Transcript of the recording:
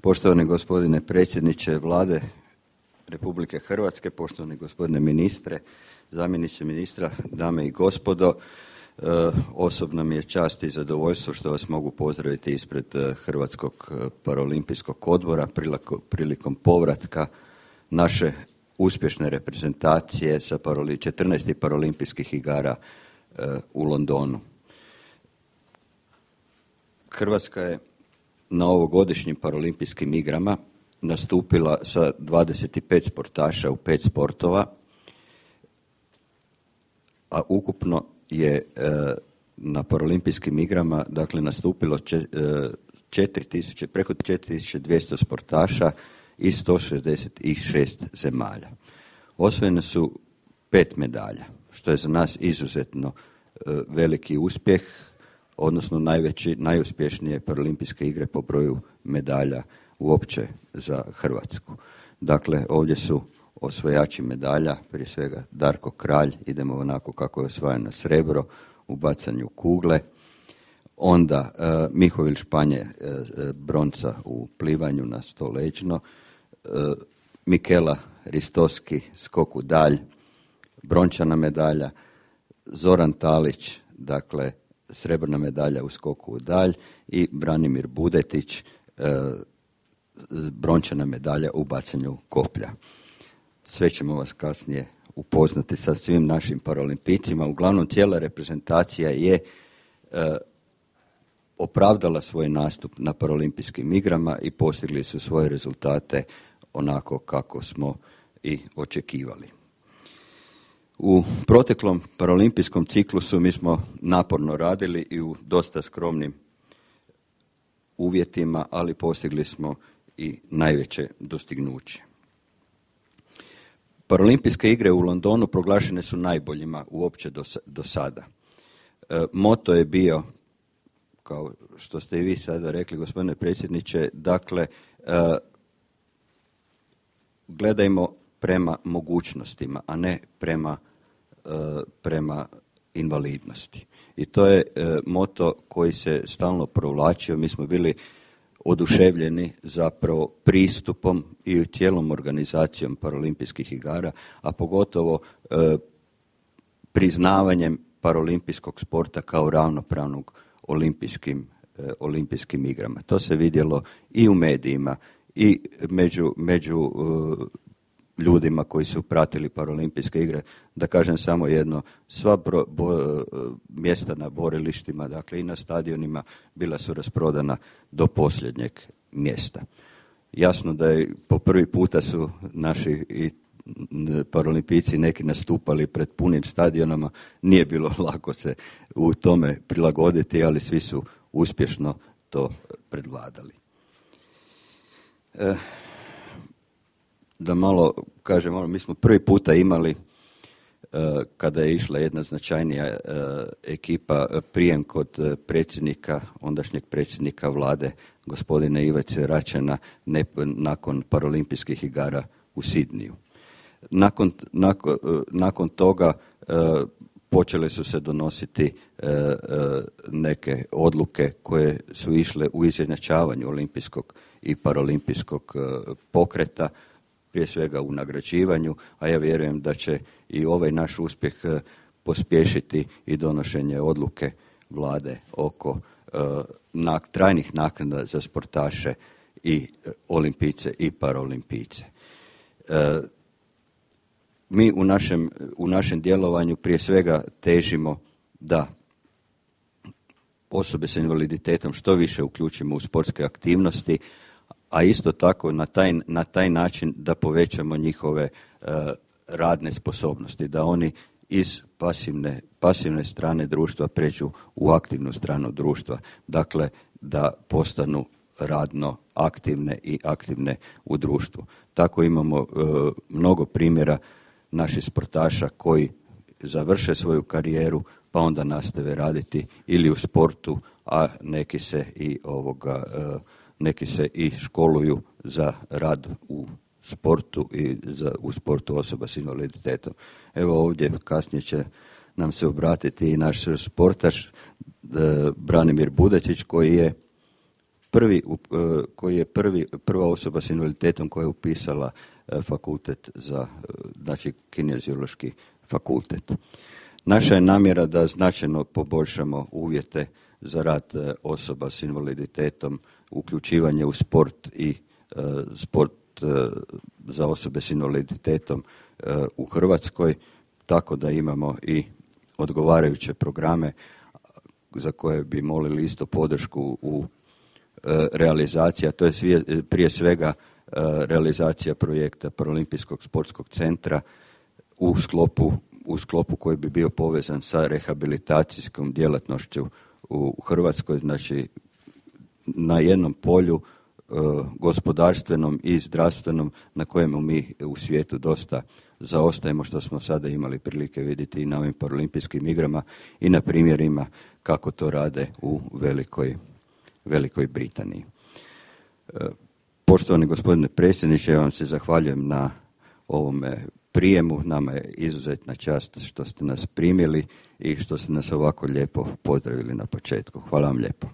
Poštovani gospodine predsjedniče Vlade Republike Hrvatske, poštovani gospodine ministre, zamjeniče ministra, dame i gospodo, osobno mi je čast i zadovoljstvo što vas mogu pozdraviti ispred Hrvatskog paraolimpijskog odbora prilikom povratka naše uspješne reprezentacije sa 14. paraolimpijskih igara u Londonu. Hrvatska je na ovogodišnjim paraolimpijskim igrama nastupila sa 25 sportaša u 5 sportova, a ukupno je na paraolimpijskim igrama nastupilo preko 4200 sportaša iz 166 zemalja. Osvojene su 5 medalja, što je za nas izuzetno veliki uspjeh, odnosno najuspješnije paraolimpijske igre po broju medalja uopće za Hrvatsku. Dakle, ovdje su osvajači medalja, prije svega Darko Kralj, idemo onako kako je osvajano srebro u bacanju kugle, onda Mihovil Španje bronca u plivanju na stoleđno, Mikela Ristoski skok u dalj, brončana medalja, Zoran Talić, dakle srebrna medalja u skoku u dalj i Branimir Budetić, brončana medalja u bacanju koplja. Sve ćemo vas kasnije upoznati sa svim našim paraolimpijcima. Uglavnom, cijela reprezentacija je opravdala svoj nastup na paraolimpijskim igrama i postigli su svoje rezultate onako kako smo i očekivali. U proteklom paraolimpijskom ciklusu mi smo naporno radili i u dosta skromnim uvjetima, ali postigli smo i najveće dostignuće. Paraolimpijske igre u Londonu proglašene su najboljima uopće do sada. Moto je bio, kao što ste i vi sada rekli, gospodine predsjedniče, dakle, gledajmo prema mogućnostima, a ne prema invalidnosti. I to je moto koji se stalno provlačio. Mi smo bili oduševljeni zapravo pristupom i cijelom organizacijom paraolimpijskih igara, a pogotovo priznavanjem paraolimpijskog sporta kao ravnopravnog olimpijskim igrama. To se vidjelo i u medijima i među ljudima koji su pratili paraolimpijske igre. Da kažem samo jedno, sva mjesta na borilištima, dakle i na stadionima, bila su rasprodana do posljednjeg mjesta. Jasno da je po prvi puta su naši i paraolimpijci neki nastupali pred punim stadionama, nije bilo lako se u tome prilagoditi, ali svi su uspješno to predvladali. Da malo kažem, mi smo prvi puta imali, kada je išla jedna značajnija ekipa, prijem kod ondašnjeg predsjednika vlade, gospodina Ivice Račana, nakon paraolimpijskih igara u Sidniju. Nakon toga počele su se donositi neke odluke koje su išle u izjednačavanju olimpijskog i paraolimpijskog pokreta, prije svega u nagrađivanju, a ja vjerujem da će i ovaj naš uspjeh pospješiti i donošenje odluke vlade oko trajnih naknada za sportaše i olimpijce i paraolimpijce. Mi u našem djelovanju prije svega težimo da osobe s invaliditetom što više uključimo u sportske aktivnosti, a isto tako na taj način da povećamo njihove radne sposobnosti, da oni iz pasivne strane društva pređu u aktivnu stranu društva, dakle da postanu radno aktivne i aktivne u društvu. Tako imamo mnogo primjera naših sportaša koji završe svoju karijeru pa onda nastave raditi ili u sportu, a neki se i školuju za rad u sportu i u sportu osoba s invaliditetom. Evo ovdje kasnije će nam se obratiti i naš sportaš Branimir Budetić, koji je koji je prva osoba s invaliditetom koja je upisala fakultet za, znači kineziološki fakultet. Naša je namjera da značajno poboljšamo uvjete za rad osoba s invaliditetom, uključivanje u sport i sport za osobe s invaliditetom u Hrvatskoj, tako da imamo i odgovarajuće programe za koje bi molili isto podršku u realizaciji, a to je prije svega realizacija projekta Paralimpijskog sportskog centra u sklopu koji bi bio povezan sa rehabilitacijskom djelatnošću u Hrvatskoj, znači na jednom polju gospodarstvenom i zdravstvenom na kojemu mi u svijetu dosta zaostajemo, što smo sada imali prilike vidjeti i na ovim Paralimpijskim igrama i na primjerima kako to rade u Velikoj Britaniji. Poštovani gospodine predsjedniče, ja vam se zahvaljujem na ovome prijemu. Nama je izuzetna čast što ste nas primili i što ste nas ovako lijepo pozdravili na početku. Hvala vam lijepo.